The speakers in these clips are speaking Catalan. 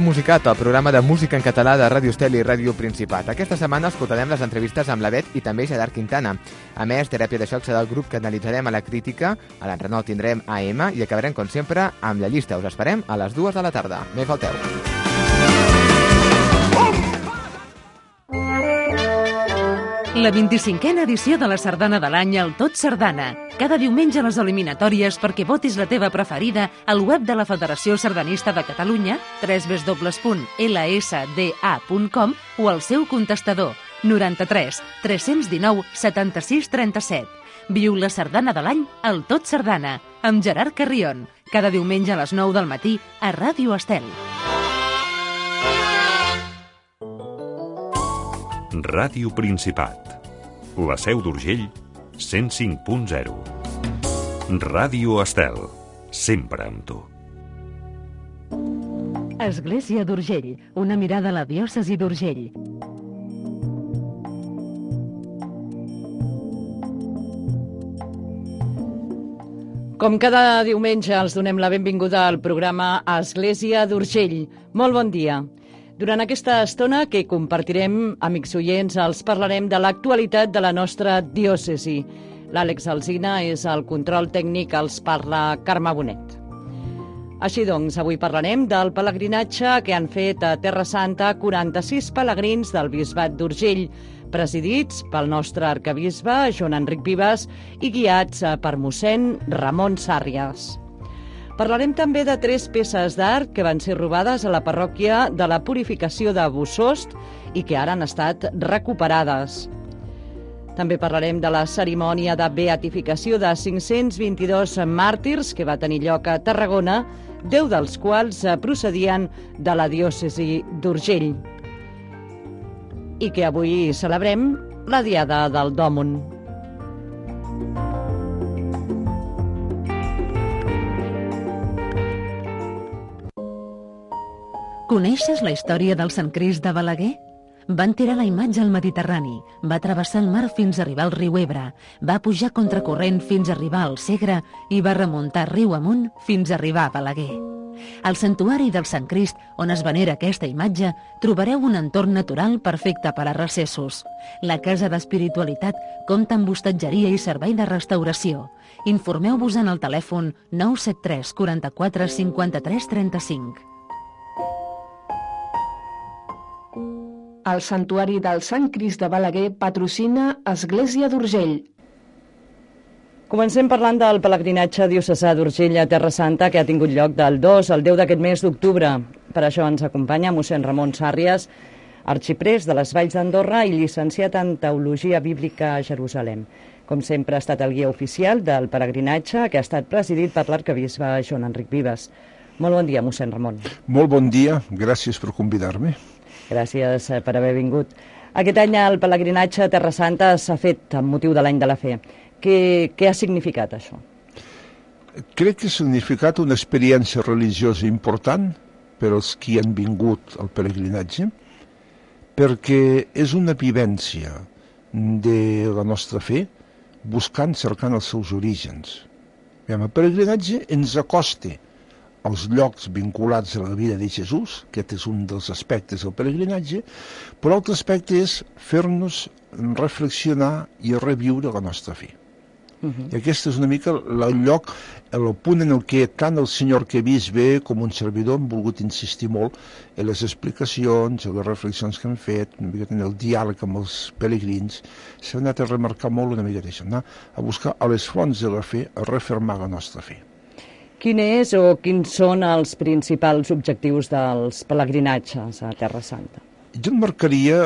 Musicat, el programa de música en català de Ràdio Estel i Ràdio Principat. Aquesta setmana escoltarem les entrevistes amb la Bet i també Gerard Quintana. A més, Teràpia de Xoc serà el grup que analitzarem a la crítica, a l'Enrenou tindrem AM i acabarem, com sempre, amb la llista. Us esperem a les 2 de la tarda. No hi falteu. La 25a edició de la Sardana de l'any al Tot Sardana. Cada diumenge a les eliminatòries perquè votis la teva preferida al web de la Federació Sardanista de Catalunya, www.lsda.com o al seu contestador 93 319 76 37. Viu la Sardana de l'any al Tot Sardana amb Gerard Carrion. Cada diumenge a les 9 del matí a Ràdio Estel. Ràdio Principat. La Seu d'Urgell, 105.0. Ràdio Estel, sempre amb tu. Església d'Urgell, una mirada a la diòcesi d'Urgell. Com cada diumenge els donem la benvinguda al programa Església d'Urgell. Molt bon dia. Durant aquesta estona que compartirem, amics oients, els parlarem de l'actualitat de la nostra diòcesi. L'Àlex Alsina és el control tècnic, els parla Carme Bonet. Així doncs, avui parlarem del pelegrinatge que han fet a Terra Santa 46 pelegrins del Bisbat d'Urgell, presidits pel nostre arquebisbe Joan Enric Vives i guiats per mossèn Ramon Sàrries. Parlarem també de 3 peces d'art que van ser robades a la parròquia de la Purificació de Bossòst i que ara han estat recuperades. També parlarem de la cerimònia de beatificació de 522 màrtirs que va tenir lloc a Tarragona, 10 dels quals procedien de la diòcesi d'Urgell. I que avui celebrem la Diada del Dòmon. Coneixes la història del Sant Crist de Balaguer? Van tirar la imatge al Mediterrani, va travessar el mar fins a arribar al riu Ebre, va pujar contracorrent fins a arribar al Segre i va remuntar riu amunt fins a arribar a Balaguer. Al santuari del Sant Crist, on es venera aquesta imatge, trobareu un entorn natural perfecte per a recessos. La Casa d'Espiritualitat compta amb hostatgeria i servei de restauració. Informeu-vos en el telèfon 973 44 53 35. El Santuari del Sant Crist de Balaguer patrocina Església d'Urgell. Comencem parlant del pelegrinatge diocesà d'Urgell a Terra Santa que ha tingut lloc del 2 al 10 d'aquest mes d'octubre. Per això ens acompanya mossèn Ramon Sàrries, arxiprés de les Valls d'Andorra i llicenciat en Teologia Bíblica a Jerusalem. Com sempre ha estat el guia oficial del pelegrinatge que ha estat presidit per l'arquebisbe Joan Enric Vives. Molt bon dia, mossèn Ramon. Molt bon dia, gràcies per convidar-me. Gràcies per haver vingut. Aquest any el pelegrinatge a Terra Santa s'ha fet amb motiu de l'any de la fe. Què ha significat això? Crec que ha significat una experiència religiosa important per als qui han vingut al pelegrinatge, perquè és una vivència de la nostra fe cercant els seus orígens. El pelegrinatge ens acosta als llocs vinculats a la vida de Jesús, aquest és un dels aspectes del pelegrinatge, però l'altre aspecte és fer-nos reflexionar i reviure la nostra fe. I aquest és una mica el lloc, el punt en el que tant el senyor arquebisbe com un servidor han volgut insistir molt en les explicacions, en les reflexions que han fet, una mica en el diàleg amb els pelegrins. S'ha anat a remarcar molt una mica d'això, anar a buscar a les fonts de la fe, a refermar la nostra fe. Quins són els principals objectius dels pelegrinatges a Terra Santa? Jo en marcaria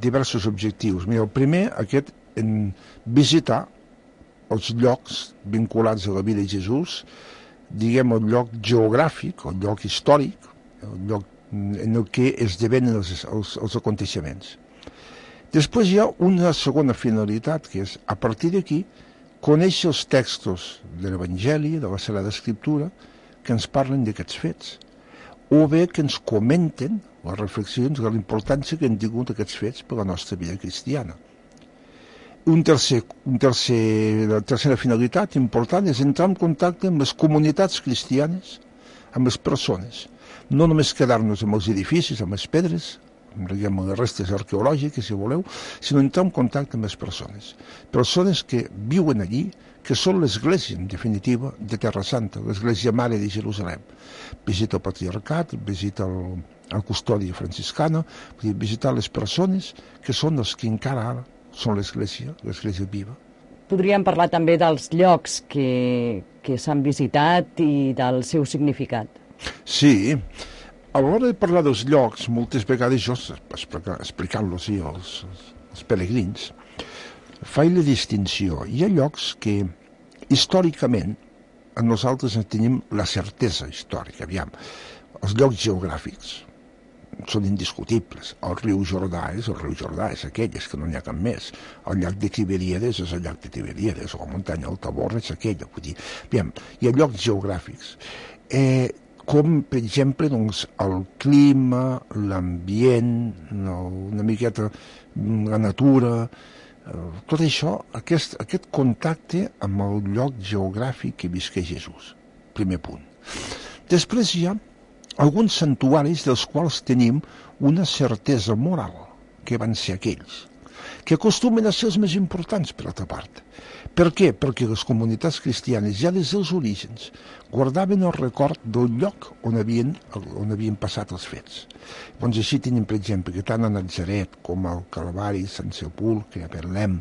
diversos objectius. Mira, el primer, aquest, en visitar els llocs vinculats a la vida de Jesús, diguem el lloc geogràfic, el lloc històric, el lloc en el que esdevenen els aconteixements. Després hi ha una segona finalitat, que és, a partir d'aquí, conèixer els textos de l'Evangeli, de la Sagrada Escriptura, que ens parlen d'aquests fets, o bé que ens comenten les reflexions de la importància que han tingut aquests fets per a la nostra vida cristiana. La tercera finalitat important és entrar en contacte amb les comunitats cristianes, amb les persones, no només quedar-nos amb els edificis, amb les pedres, amb les restes arqueològiques, si voleu, sinó entrar en contacte amb les persones. Persones que viuen allí, que són l'església, en definitiva, de Terra Santa, l'església mare de Jerusalem. Visita el patriarcat, visita el custòdia franciscana, visitar les persones que són els que encara ara són l'església viva. Podríem parlar també dels llocs que s'han visitat i del seu significat. Sí, a l'hora de parlar dels llocs, moltes vegades jo, explicant-los als peregrins, faig la distinció. Hi ha llocs que, històricament, nosaltres tenim la certesa històrica. Aviam, els llocs geogràfics són indiscutibles. El riu Jordà és aquell, és que no n'hi ha cap més. El llac de Tiberíades és el llac de Tiberíades, o la muntanya del Tabor és aquella. Vull dir, aviam, hi ha llocs geogràfics. Com, per exemple, doncs, el clima, l'ambient, una miqueta la natura, tot això, aquest contacte amb el lloc geogràfic que visqué Jesús. Primer punt. Després hi ha alguns santuaris dels quals tenim una certesa moral, que van ser aquells, que acostumen a ser els més importants, per altra part. Per què? Perquè les comunitats cristianes, ja des dels orígens, guardaven el record del lloc on havien passat els fets. Doncs així tenim, per exemple, que tant a Natzaret com al Calvari, Sant Sepulcre, a Betlem,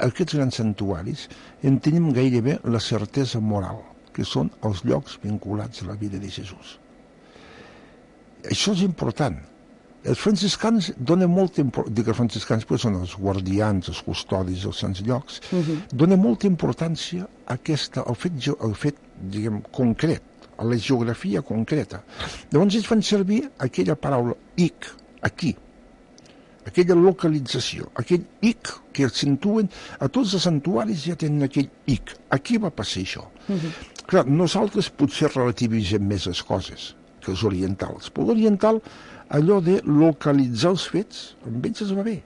aquests grans santuaris en tenim gairebé la certesa moral, que són els llocs vinculats a la vida de Jesús. Això és important. Els franciscans donen molta importància, dic que els franciscans són els guardians, els custodis dels sants llocs, donen molta importància al fet, diguem, concret, a la geografia concreta. Llavors ells fan servir aquella paraula ic, aquí, aquella localització, aquell ic que acentuen, a tots els santuaris ja tenen aquell ic, aquí va passar això. Clar, nosaltres potser relativitzem més les coses que els orientals, però l'oriental, allò de localitzar els fets, amb ells es va bé.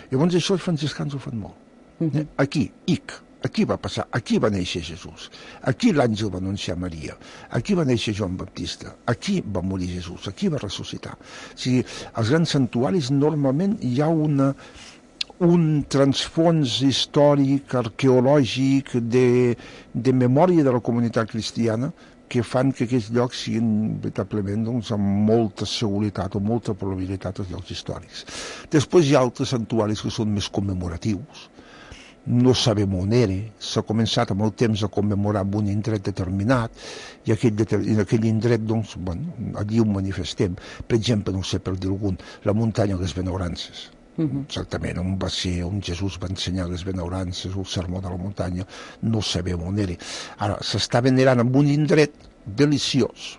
Llavors això els franciscans ho fan molt. Aquí, ic, aquí va passar, aquí va néixer Jesús, aquí l'àngel va anunciar Maria, aquí va néixer Joan Baptista, aquí va morir Jesús, aquí va ressuscitar. O sigui, als grans santuaris normalment hi ha un transfons històric, arqueològic, de memòria de la comunitat cristiana, que fan que aquests llocs siguin veritablement amb molta seguretat o molta probabilitat els llocs històrics. Després hi ha altres santuaris que són més commemoratius. No sabem on era, s'ha començat amb el temps a commemorar en un indret determinat i en aquell indret, doncs, allí ho manifestem. Per exemple, no sé per dir algun, la muntanya de les Benaurances. Exactament, on va ser, on Jesús va ensenyar les benaurances, el sermó de la muntanya, no sabem on era. Ara, s'està venerant en un indret deliciós,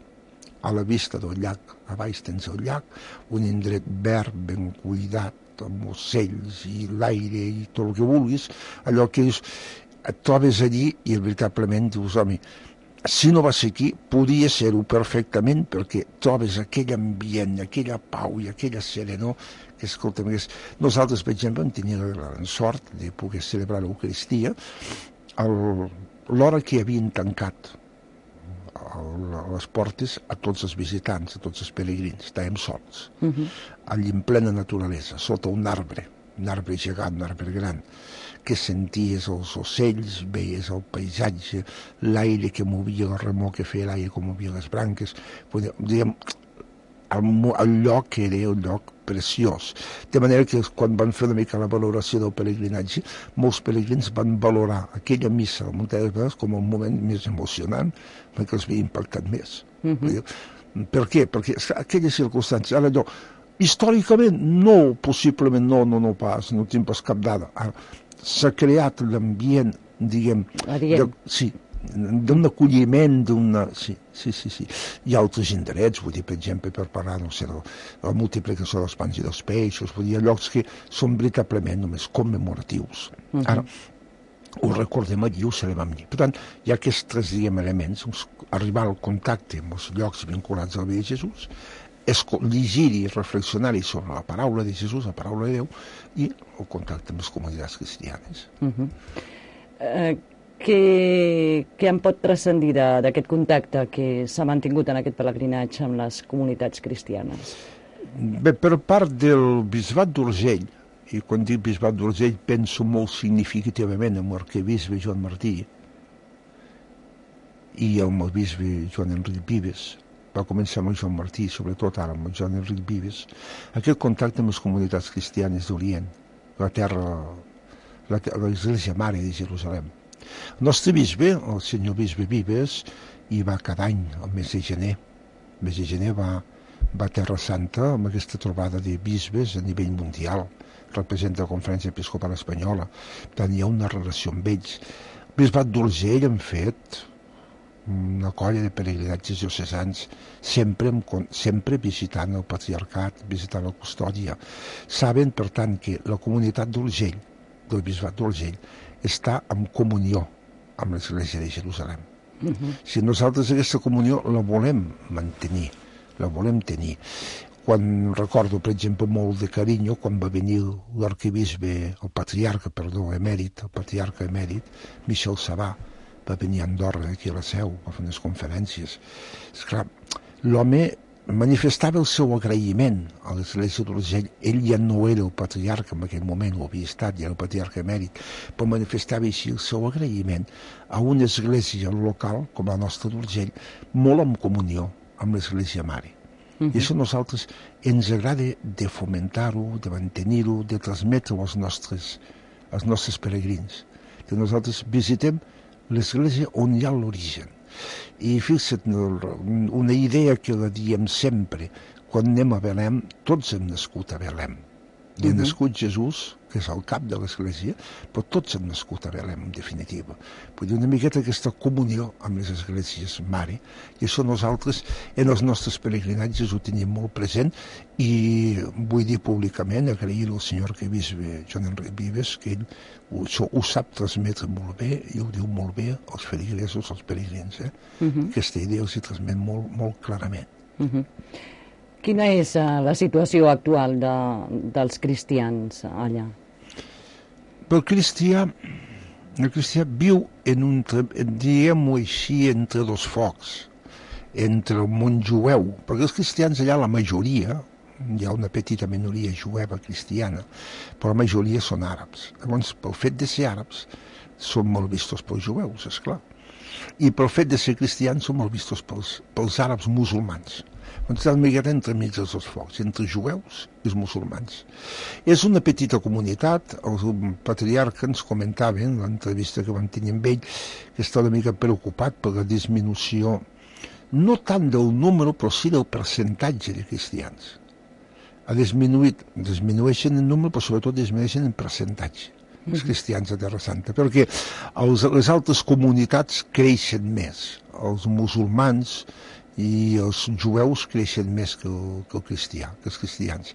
a la vista del llac, a baix tens el llac, un indret verd, ben cuidat, amb ocells i l'aire i tot el que vulguis, allò que et trobes allí i veritablement dius, home, si no va ser aquí, podia ser-ho perfectament perquè trobes aquell ambient, aquella pau i aquella serenor que, escolta'm, nosaltres, per exemple, hem tingut la gran sort de poder celebrar l'Eucaristia a l'hora que havien tancat les portes a tots els visitants, a tots els peregrins. Estàvem sols, allí en plena naturalesa, sota un arbre gegant, un arbre gran, que senties els ocells, veies el paisatge, l'aire que movia, el remor que feia l'aire, com movia les branques, diguem, el lloc era un lloc preciós. De manera que quan van fer una mica la valoració del peregrinatge, molts peregrins van valorar aquella missa a la muntanya de Benaurances com un moment més emocionant, perquè els havia impactat més. Per què? Perquè aquelles circumstàncies, ara allò, històricament no, possiblement no pas, no tinc pas cap dada. S'ha creat l'ambient, diguem, d'un acolliment, Sí. Hi ha altres indrets, vull dir, per exemple, per parlar, no sé, de la multiplicació dels pans i dels peixos, vull dir, llocs que són veritablement només commemoratius. Ara, ho recordem allí, ho celebrem allí. Per tant, hi ha aquests tres, diguem, elements, arribar al contacte amb els llocs vinculats a la vida de Jesús, llegir-hi, reflexionar-hi sobre la paraula de Jesús, la paraula de Déu, i el contacte amb les comunitats cristianes. Què en pot transcendir d'aquest contacte que s'ha mantingut en aquest pelegrinatge amb les comunitats cristianes? Bé, per part del bisbat d'Urgell, i quan dic bisbat d'Urgell penso molt significativament en l'arquebisbe Joan Martí i amb el bisbe Joan Enric Vives. Va començar amb el Joan Martí, sobretot ara amb el Joan Enric Vives, aquest contacte amb les comunitats cristianes d'Orient, la terra, l'Església Mare de Jerusalem. El nostre bisbe, el senyor bisbe Vives, hi va cada any, al mes de gener. El mes de gener va a Terra Santa amb aquesta trobada de bisbes a nivell mundial. Representa la Conferència Episcopal Espanyola. Per tant, hi ha una relació amb ells. El bisbat d'Urgell han fet una colla de peregrinatges diocesans, sempre visitant el patriarcat, visitant la custòdia. Saben, per tant, que la comunitat d'Urgell, del bisbat d'Urgell, està en comunió amb l'Església de Jerusalem. Si nosaltres aquesta comunió la volem mantenir, la volem tenir. Quan recordo, per exemple, molt de carinyo, quan va venir l'arquebisbe, el patriarca emèrit, Michel Sabà, va venir a Andorra, aquí a la Seu, va fer unes conferències. Esclar, l'home manifestava el seu agraïment a l'Església d'Urgell. Ell ja no era el patriarca en aquell moment, ho havia estat, ja era el patriarca emèrit, però manifestava així el seu agraïment a una església local, com la nostra d'Urgell, molt en comunió amb l'Església Mare. I això a nosaltres ens agrada de fomentar-ho, de mantenir-ho, de transmetre-ho als nostres peregrins. Que nosaltres visitem l'església on hi ha l'origen. I fixa't, una idea que la diem sempre, quan anem a Belém, tots hem nascut a Belém. Hi ha nascut Jesús, que és el cap de l'església, però tots hem nascut a Belém, en definitiva. Vull dir, una miqueta aquesta comunió amb les esglésies mare, i això nosaltres, en els nostres peregrinatges, ho tenim molt present, i vull dir públicament, agrair al senyor arquebisbe Joan Enric Vives, que ell ho sap transmetre molt bé, i ho diu molt bé als feligresos, als peregrins. Aquesta idea els hi transmet molt clarament. Quina és la situació actual dels cristians allà? El cristià viu diguem-ho així, entre dos focs, entre el món jueu, perquè els cristians allà, la majoria, hi ha una petita minoria jueva cristiana, però la majoria són àrabs. Llavors, pel fet de ser àrabs, són molt vistos pels jueus, esclar. I pel fet de ser cristians són molt vistos pels àrabs musulmans. Doncs està una miqueta entre mig dels dos focs, entre jueus i els musulmans. És una petita comunitat, el patriarca ens comentava en l'entrevista que vam tenir amb ell, que està una mica preocupat per la disminució, no tant del número, però sí del percentatge de cristians. Disminueixen en número, però sobretot disminueixen en percentatge, els cristians a Terra Santa, perquè les altres comunitats creixen més, els musulmans i els jueus creixen més que els cristians.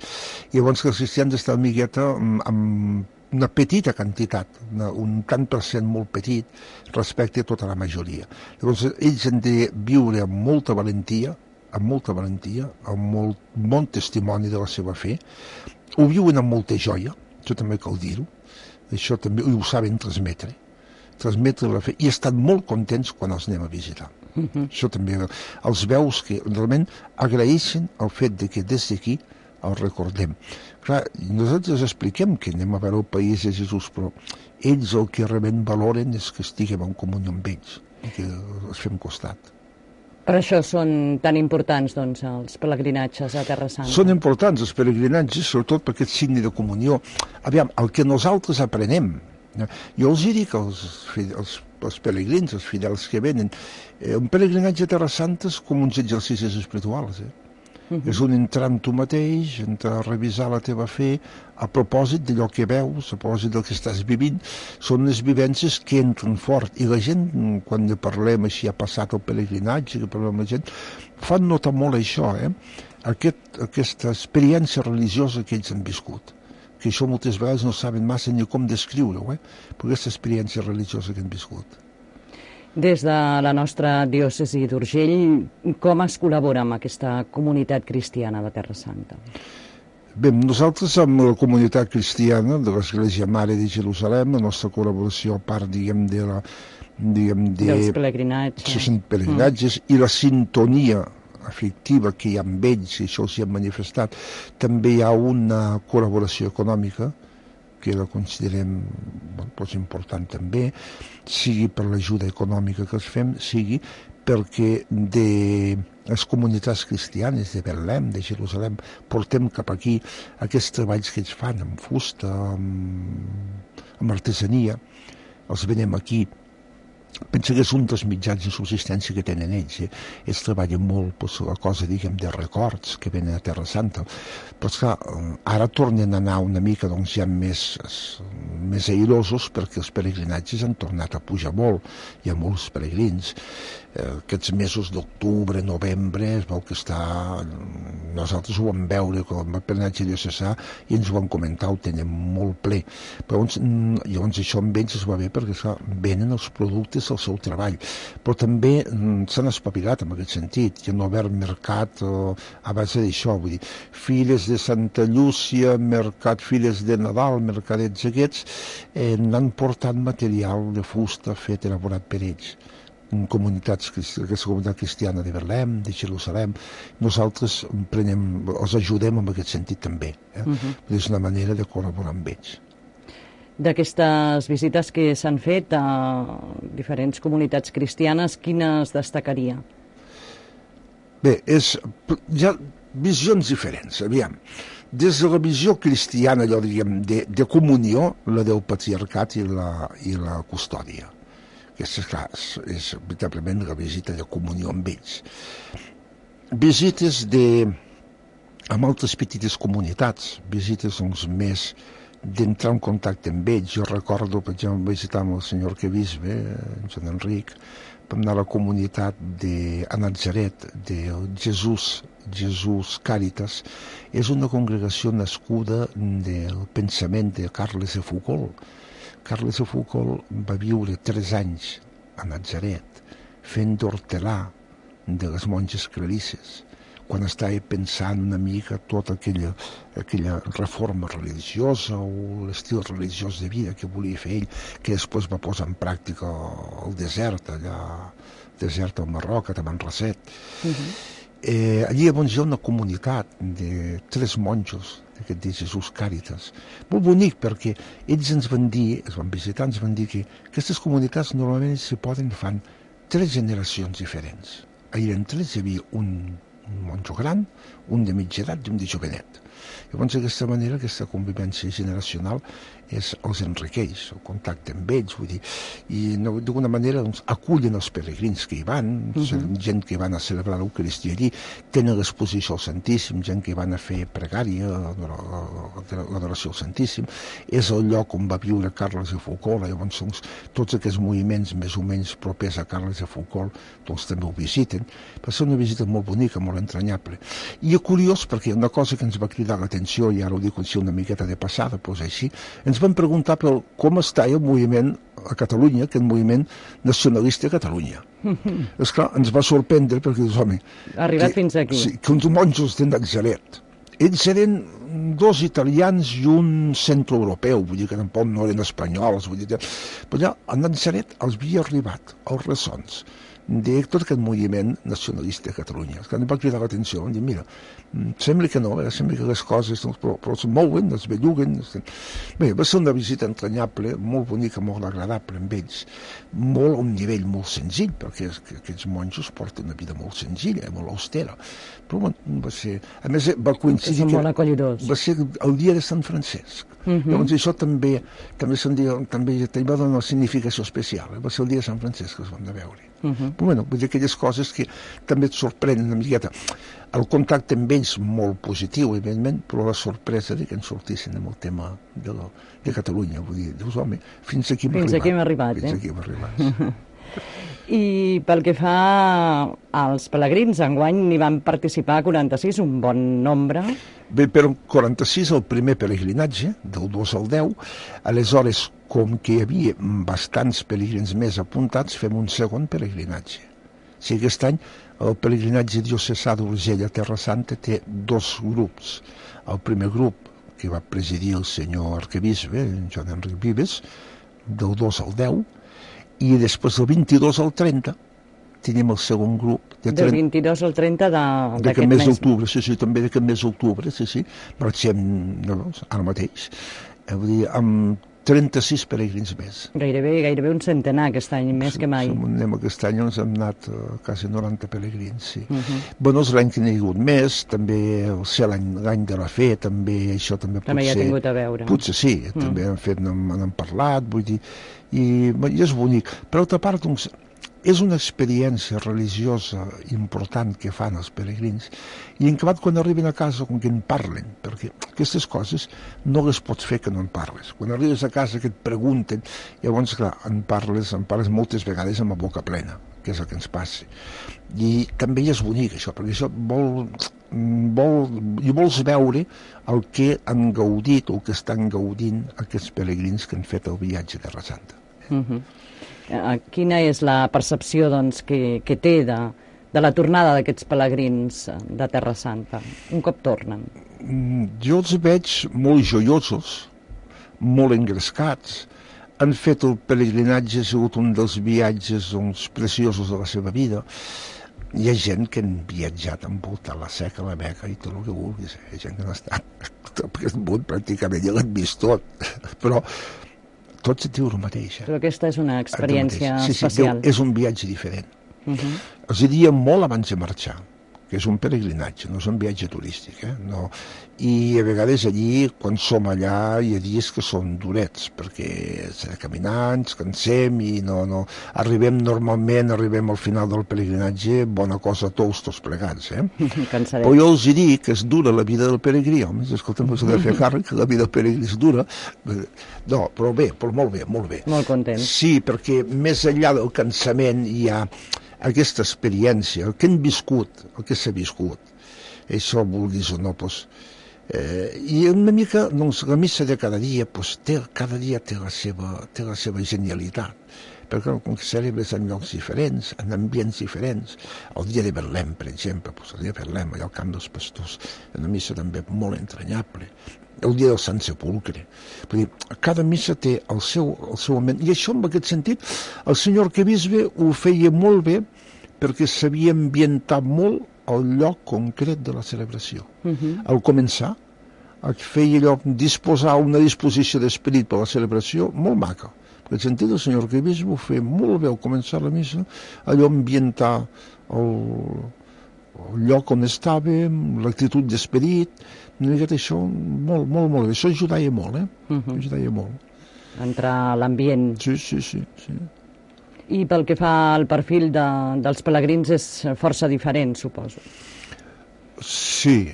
I llavors que els cristians estan una miqueta amb una petita quantitat, un tant per cent molt petit respecte a tota la majoria. Llavors ells han de viure amb molta valentia, amb molt bon testimoni de la seva fe, ho viuen amb molta joia, això també cal dir-ho, això també ho saben transmetre la fe, i estan molt contents quan els anem a visitar. Això també els veus que realment agraeixen el fet de que des d'aquí els recordem. Clar, nosaltres expliquem que anem a veure el país de Jesús, però ells el que realment valoren és que estiguem en comunió amb ells i que els fem costat. Per això són tan importants, doncs, els pelegrinatges a Terra Santa. Són importants els pelegrinatges, sobretot per aquest signe de comunió. Aviam, el que nosaltres aprenem, jo els dic als pelegrins, als fidels que venen, un pelegrinatge a Terra Santa és com uns exercicis espirituals. És un entrar en tu mateix, entrar a revisar la teva fe, a propòsit d'allò que veus, a propòsit del que estàs vivint. Són unes vivències que entren fort. I la gent, quan parlem així, ha passat el pelegrinatge, que parlem amb la gent, fan notar molt això, aquesta experiència religiosa que ells han viscut. Que això moltes vegades no saben massa ni com descriure-ho, per aquesta experiència religiosa que han viscut. Des de la nostra diòcesi d'Urgell, com es col·labora amb aquesta comunitat cristiana de Terra Santa? Bé, nosaltres amb la comunitat cristiana de l'Església Mare de Jerusalem, la nostra col·laboració, a part, diguem, dels pelegrinatges. Sí, són pelegrinatges, i la sintonia afectiva que hi ha amb ells, i això els hi hem manifestat. També hi ha una col·laboració econòmica, que la considerem important també, sigui per l'ajuda econòmica que els fem, sigui perquè de les comunitats cristianes de Betlem, de Jerusalem, portem cap aquí aquests treballs que ells fan amb fusta, amb artesania, els venem aquí. Penso que és un dels mitjans de subsistència que tenen ells. Ells treballen molt la cosa, diguem, de records que venen a Terra Santa. Però, esclar, ara tornen a anar una mica, doncs, ja més airosos, perquè els peregrinatges han tornat a pujar molt. Hi ha molts peregrins. Aquests mesos d'octubre, novembre, es veu que està... Nosaltres ho vam veure com a peregrinatge diocesà i ens ho van comentar, ho tenen molt ple. Però llavors això amb ells es va bé perquè, esclar, venen els productes del seu treball. Però també s'han espavilat en aquest sentit. Hi ha obert mercat a base d'això, vull dir, Filles de Santa Llúcia, mercat Filles de Nadal, mercadets aquests, n'han portat material de fusta fet, elaborat per ells. Comunitats, aquesta comunitat cristiana de Betlem, de Jerusalem, nosaltres els ajudem en aquest sentit també. És una manera de col·laborar amb ells. D'aquestes visites que s'han fet a diferents comunitats cristianes, quines destacaria? Bé, hi ha visions diferents, aviam. Des de la visió cristiana, allò, diguem, de comunió, la del patriarcat i la custòdia. Aquesta, clar, és veritablement la visita de comunió amb ells. Visites amb altres petites comunitats, visites doncs, més d'entrar en contacte amb ells. Jo recordo, per exemple, visitar amb el senyor arquebisbe, en Joan Enric, vam anar a la comunitat a Natzaret, de Jesús Càritas. És una congregació nascuda del pensament de Carles de Foucault. Carles de Foucault va viure 3 anys a Natzaret fent d'hortelà de les monges clarisses, quan estava pensant una mica tota aquella reforma religiosa o l'estil religiós de vida que volia fer ell, que després va posar en pràctica al desert, allà al Marroc, a Tamanrasset. Allí llavors hi ha una comunitat de 3 monjos d'aquest de Jesús Càritas. Molt bonic, perquè ells ens van dir, ens van visitar, ens van dir que aquestes comunitats normalment s'hi poden fan 3 generacions diferents. Ahir en 3 hi havia un monjo gran, un de mitja edat i un de jovenet. Llavors, d'aquesta manera, aquesta convivència generacional els enriqueix, el contacte amb ells, vull dir, i d'alguna manera doncs, acullen els peregrins que hi van, gent que van a celebrar l'Eucaristia allí, tenen l'exposició al Santíssim, gent que van a fer pregària, l'adoració al Santíssim, és el lloc on va viure Carles de Foucault, llavors doncs, tots aquests moviments més o menys propers a Carles de Foucault doncs, també ho visiten. Va ser una visita molt bonica, molt entranyable. I és curiós perquè una cosa que ens va cridar l'atenció, i ara ho dic així una miqueta de passada, doncs així, ens van preguntar per com està el moviment a Catalunya, aquest moviment nacionalista a Catalunya. Esclar, ens va sorprendre perquè, home... Ha arribat fins aquí. Sí, que uns monjos de Natzaret. Ells eren 2 italians i un centroeuropeu, vull dir que tampoc no eren espanyols, vull dir que... Però allà a Natzaret els havia arribat els ressons de tot aquest moviment nacionalista a Catalunya. Que em va cridar l'atenció, em dir, mira, sembla que no, sembla que les coses però es mouen, es belluguen. Bé, va ser una visita entranyable, molt bonica, molt agradable amb ells, molt a un nivell molt senzill, perquè aquests monjos porten una vida molt senzilla, molt austera. Però bueno, va ser... A més, va coincidir que... molt acollidors. Va ser el dia de Sant Francesc. Llavors això també va donar una significació especial. Va ser el dia de Sant Francesc que es van de veure. Però bueno, vull dir aquelles coses que també et sorprenen una miqueta. El contacte amb ells molt positiu, evidentment, però la sorpresa de que ens sortissin amb el tema de Catalunya. Vull dir, dius, home, fins aquí hem arribat. Fins aquí hem arribat. I pel que fa als pelegrins, enguany n'hi van participar 46, un bon nombre. Bé, però 46 el primer pelegrinatge, del 2 al 10, aleshores, com que hi havia bastants pelegrins més apuntats, fem un segon pelegrinatge. O sigui, aquest any el pelegrinatge diocesà d'Urgell a Terra Santa té 2 grups. El primer grup, que va presidir el senyor arquebisbe, Joan Enric Vives, del 2 al 10, I després del 22 al 30 tenim el segon grup. Del 22 al 30 d'aquest mes d'octubre, sí, també d'aquest mes d'octubre, sí. Marxem ara mateix. Vull dir, amb 36 peregrins més. Gairebé un centenar aquest any, més que mai. Aquest any ens hem anat quasi 90 peregrins, sí. Bueno, és l'any que n'hi ha hagut més, també ser l'any de la fe, també això també potser... També hi ha tingut a veure. Potser sí, també n'hem parlat, vull dir, i és bonic. Per altra part, doncs, és una experiència religiosa important que fan els peregrins i en acabat quan arriben a casa com que en parlen, perquè aquestes coses no les pots fer que no en parles. Quan arribes a casa que et pregunten, llavors clar, en parles moltes vegades amb la boca plena, que és el que ens passa. I també és bonic això, perquè això vols veure el que han gaudit o el que estan gaudint aquests peregrins que han fet el viatge a Terra Santa. Quina és la percepció doncs, que té de la tornada d'aquests pelegrins de Terra Santa, un cop tornen? Jo els veig molt joiosos, molt engrescats. Han fet el pelegrinatge, ha sigut un dels viatges preciosos de la seva vida. Hi ha gent que han viatjat envoltant la Seca, la Meca i tot el que vulguis. Hi ha gent que no ha estat tot aquest món pràcticament, ja l'han vist tot. Però tot se diu el mateix. Però aquesta és una experiència especial. Sí, és un viatge diferent. Els diria molt abans de marxar, que és un peregrinatge, no és un viatge turístic. No. I a vegades allí, quan som allà, hi ha dies que són durets, perquè s'ha de caminar, ens cansem i no. Arribem al final del peregrinatge, bona cosa tots plegats. Cansarem. Però jo els dic que és dura la vida del peregrí, home, escolta'm, s'ha de fer càrrec, que la vida del peregrí és dura. No, però bé, molt bé. Molt content. Sí, perquè més enllà del cansament hi ha aquesta experiència, el que hem viscut, el que s'ha viscut. Això vulguis o no, doncs... I una mica, doncs, la missa de cada dia, doncs, cada dia té la seva genialitat. Perquè com que celebres en llocs diferents, en ambients diferents. El dia de Betlem, per exemple, doncs, el dia de Betlem, allà al camp dels pastors, una missa també molt entranyable. El dia del Sant Sepulcre. Dir, cada missa té el seu moment. I això, en aquest sentit, el senyor arquebisbe ho feia molt bé perquè sabia ambientar molt el lloc concret de la celebració. Al començar, feia allò, disposar una disposició d'esperit per a la celebració molt maca. Per aquest sentit, el senyor arquebisbe ho feia molt bé al començar la missa, allò ambientar el lloc on estàvem, l'actitud d'esperit, això molt bé. Això ajudaria molt, ajudaria molt. Entrar a l'ambient. Sí. I pel que fa al perfil dels pelegrins és força diferent, suposo. Sí.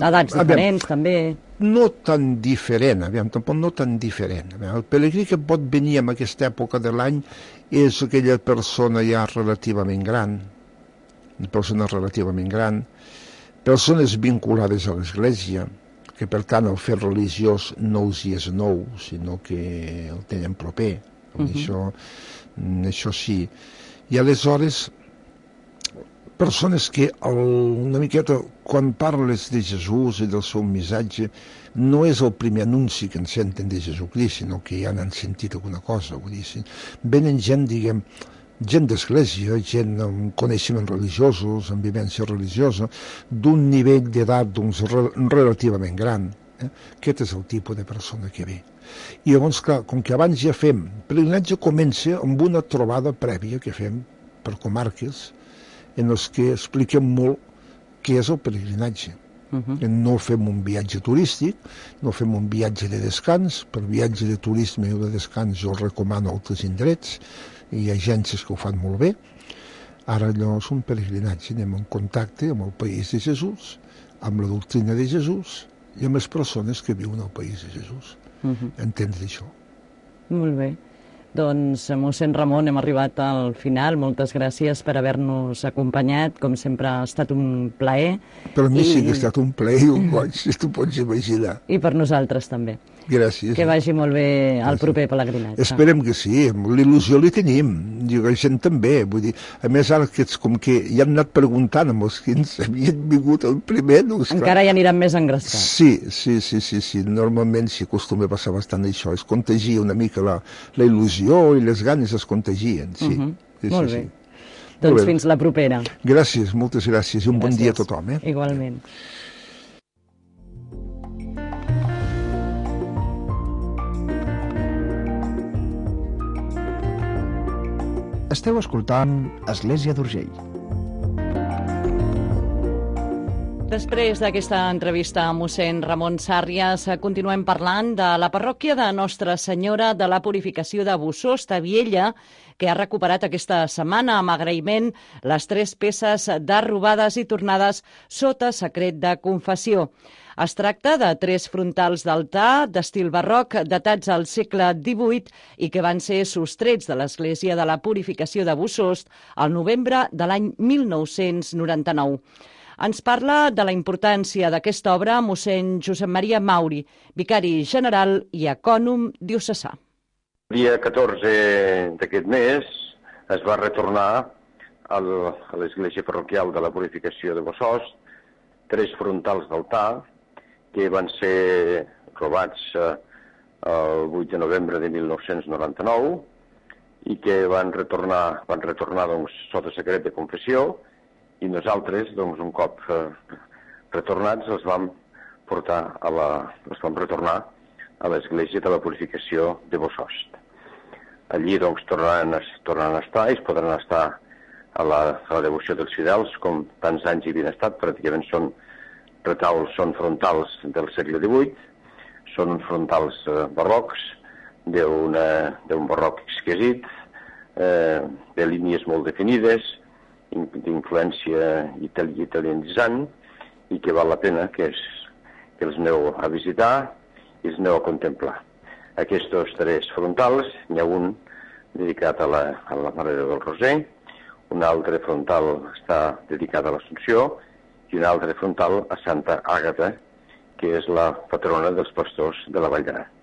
Edats diferents, també. No tan diferent, tampoc no tan diferent. El pelegrí que pot venir en aquesta època de l'any és aquella persona ja relativament gran, persones vinculades a l'Església, que per tant el fet religiós no els hi és nou, sinó que el tenen proper. Això sí. I aleshores, persones que una miqueta, quan parles de Jesús i del seu missatge, no és el primer anunci que en senten de Jesucrist, sinó que ja n'han sentit alguna cosa. Vull dir, venen gent, diguem, gent d'església, gent amb coneixements religiosos, amb vivència religiosa, d'un nivell d'edat relativament gran. Aquest és el tipus de persona que ve. I llavors, clar, com que abans ja fem, el pelegrinatge comença amb una trobada prèvia que fem per comarques, en els que expliquem molt què és el pelegrinatge. No fem un viatge turístic, no fem un viatge de descans. Per viatge de turisme o de descans jo recomano altres indrets, hi ha agències que ho fan molt bé. Ara allò és un pelegrinatge, anem en contacte amb el país de Jesús, amb la doctrina de Jesús i amb les persones que viuen al país de Jesús. Entendre això. Molt bé. Doncs, mossèn Ramon, hem arribat al final. Moltes gràcies per haver-nos acompanyat. Com sempre, ha estat un plaer. Per mi sí que ha estat un plaer i un goig, si t'ho pots imaginar. I per nosaltres també. Gràcies. Que vagi molt bé el proper pelegrinatge. Esperem que sí, l'il·lusió li tenim, i la gent també. Vull dir, a més, ara que com que ja han anat preguntant amb els que ens havien vingut el primer... Doncs, encara ja aniran més engrescats. Sí. Normalment s'hi acostuma a passar bastant això, es contagia una mica la il·lusió il·lusió i les ganes es contagien, sí. Molt bé. Doncs fins la propera. Gràcies, moltes gràcies i un bon dia a tothom. Igualment. Esteu escoltant Església d'Urgell. Després d'aquesta entrevista a mossèn Ramon Sàrrias, continuem parlant de la parròquia de Nostra Senyora de la Purificació de Bossòst, a Viella, que ha recuperat aquesta setmana amb agraïment les 3 peces de robades i tornades sota secret de confessió. Es tracta de 3 frontals d'altar d'estil barroc datats al segle XVIII i que van ser sostrets de l'Església de la Purificació de Bossòst al novembre de l'any 1999. Ens parla de la importància d'aquesta obra mossèn Josep Maria Mauri, vicari general i ecònom diocesà. El dia 14 d'aquest mes es va retornar a l'Església Parroquial de la Purificació de Bossòst 3 frontals d'altar que van ser robats el 8 de novembre de 1999 i que van retornar doncs, sota secret de confessió, i nosaltres, doncs, un cop retornats, els vam retornar a l'Església de la Purificació de Bossòst. Allí, doncs, tornaran a estar, i es podran estar a la devoció dels fidels, com tants anys hi havien estat. Pràcticament són retauls, són frontals del segle XVIII, són frontals barrocs, d'un barroc exquisit, de línies molt definides, d'influència italianitzant, i que val la pena que els aneu a visitar i els aneu a contemplar. Aquests 3 frontals, n'hi ha un dedicat a la Mare del Roser, un altre frontal està dedicat a l'Assumpció i un altre frontal a Santa Àgata, que és la patrona dels pastors de la Vall d'Aran.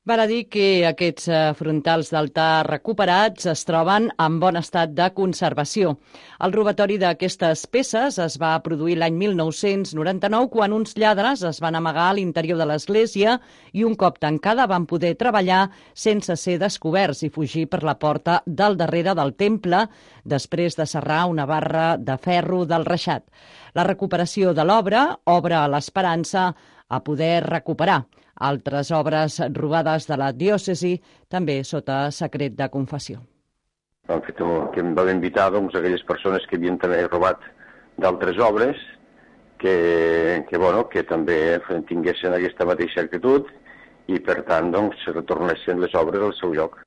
Val a dir que aquests frontals d'altar recuperats es troben en bon estat de conservació. El robatori d'aquestes peces es va produir l'any 1999 quan uns lladres es van amagar a l'interior de l'església i un cop tancada van poder treballar sense ser descoberts i fugir per la porta del darrere del temple després de serrar una barra de ferro del reixat. La recuperació de l'obra obre l'esperança a poder recuperar altres obres robades de la diòcesi, també sota secret de confessió. Que em van invitar aquelles persones que havien també robat d'altres obres que també tinguessin aquesta mateixa actitud i, per tant, retornessin les obres al seu lloc.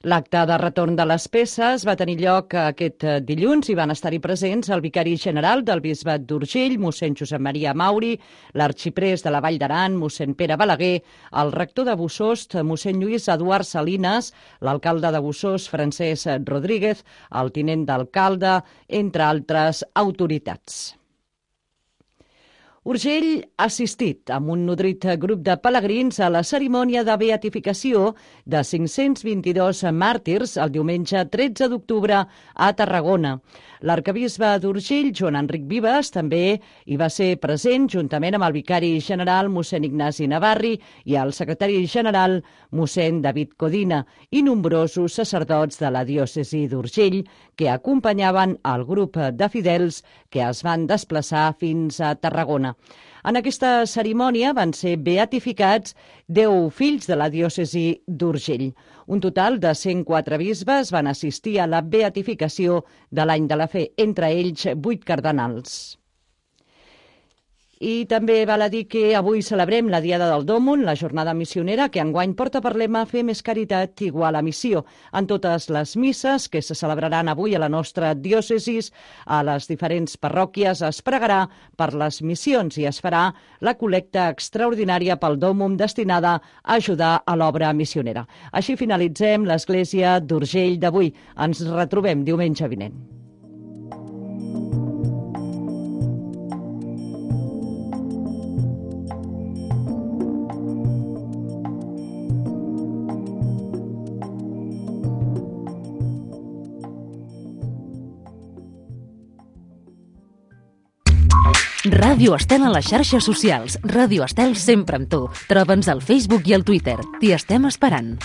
L'acte de retorn de les peces va tenir lloc aquest dilluns i van estar-hi presents el vicari general del Bisbat d'Urgell, mossèn Josep Maria Mauri, l'arxiprés de la Vall d'Aran, mossèn Pere Balaguer, el rector de Bossòst, mossèn Lluís Eduard Salinas, l'alcalde de Bossòst, Francesc Rodríguez, el tinent d'alcalde, entre altres autoritats. Urgell ha assistit amb un nodrit grup de pelegrins a la cerimònia de beatificació de 522 màrtirs el diumenge 13 d'octubre a Tarragona. L'arquebisbe d'Urgell, Joan Enric Vives, també hi va ser present juntament amb el vicari general, mossèn Ignasi Navarri, i el secretari general, mossèn David Codina, i nombrosos sacerdots de la diòcesi d'Urgell que acompanyaven el grup de fidels que es van desplaçar fins a Tarragona. En aquesta cerimònia van ser beatificats 10 fills de la diòcesi d'Urgell. Un total de 104 bisbes van assistir a la beatificació de l'any de la fe, entre ells 8 cardenals. I també val a dir que avui celebrem la Diada del Dòmon, la jornada missionera, que enguany porta per lema Fer més caritat igual a missió. En totes les misses que se celebraran avui a la nostra diòcesis, a les diferents parròquies, es pregarà per les missions i es farà la col·lecta extraordinària pel Dòmon destinada a ajudar a l'obra missionera. Així finalitzem l'Església d'Urgell d'avui. Ens retrobem diumenge vinent. Ràdio Estel a les xarxes socials. Ràdio Estel sempre amb tu. Troba'ns al Facebook i al Twitter. T'hi estem esperant.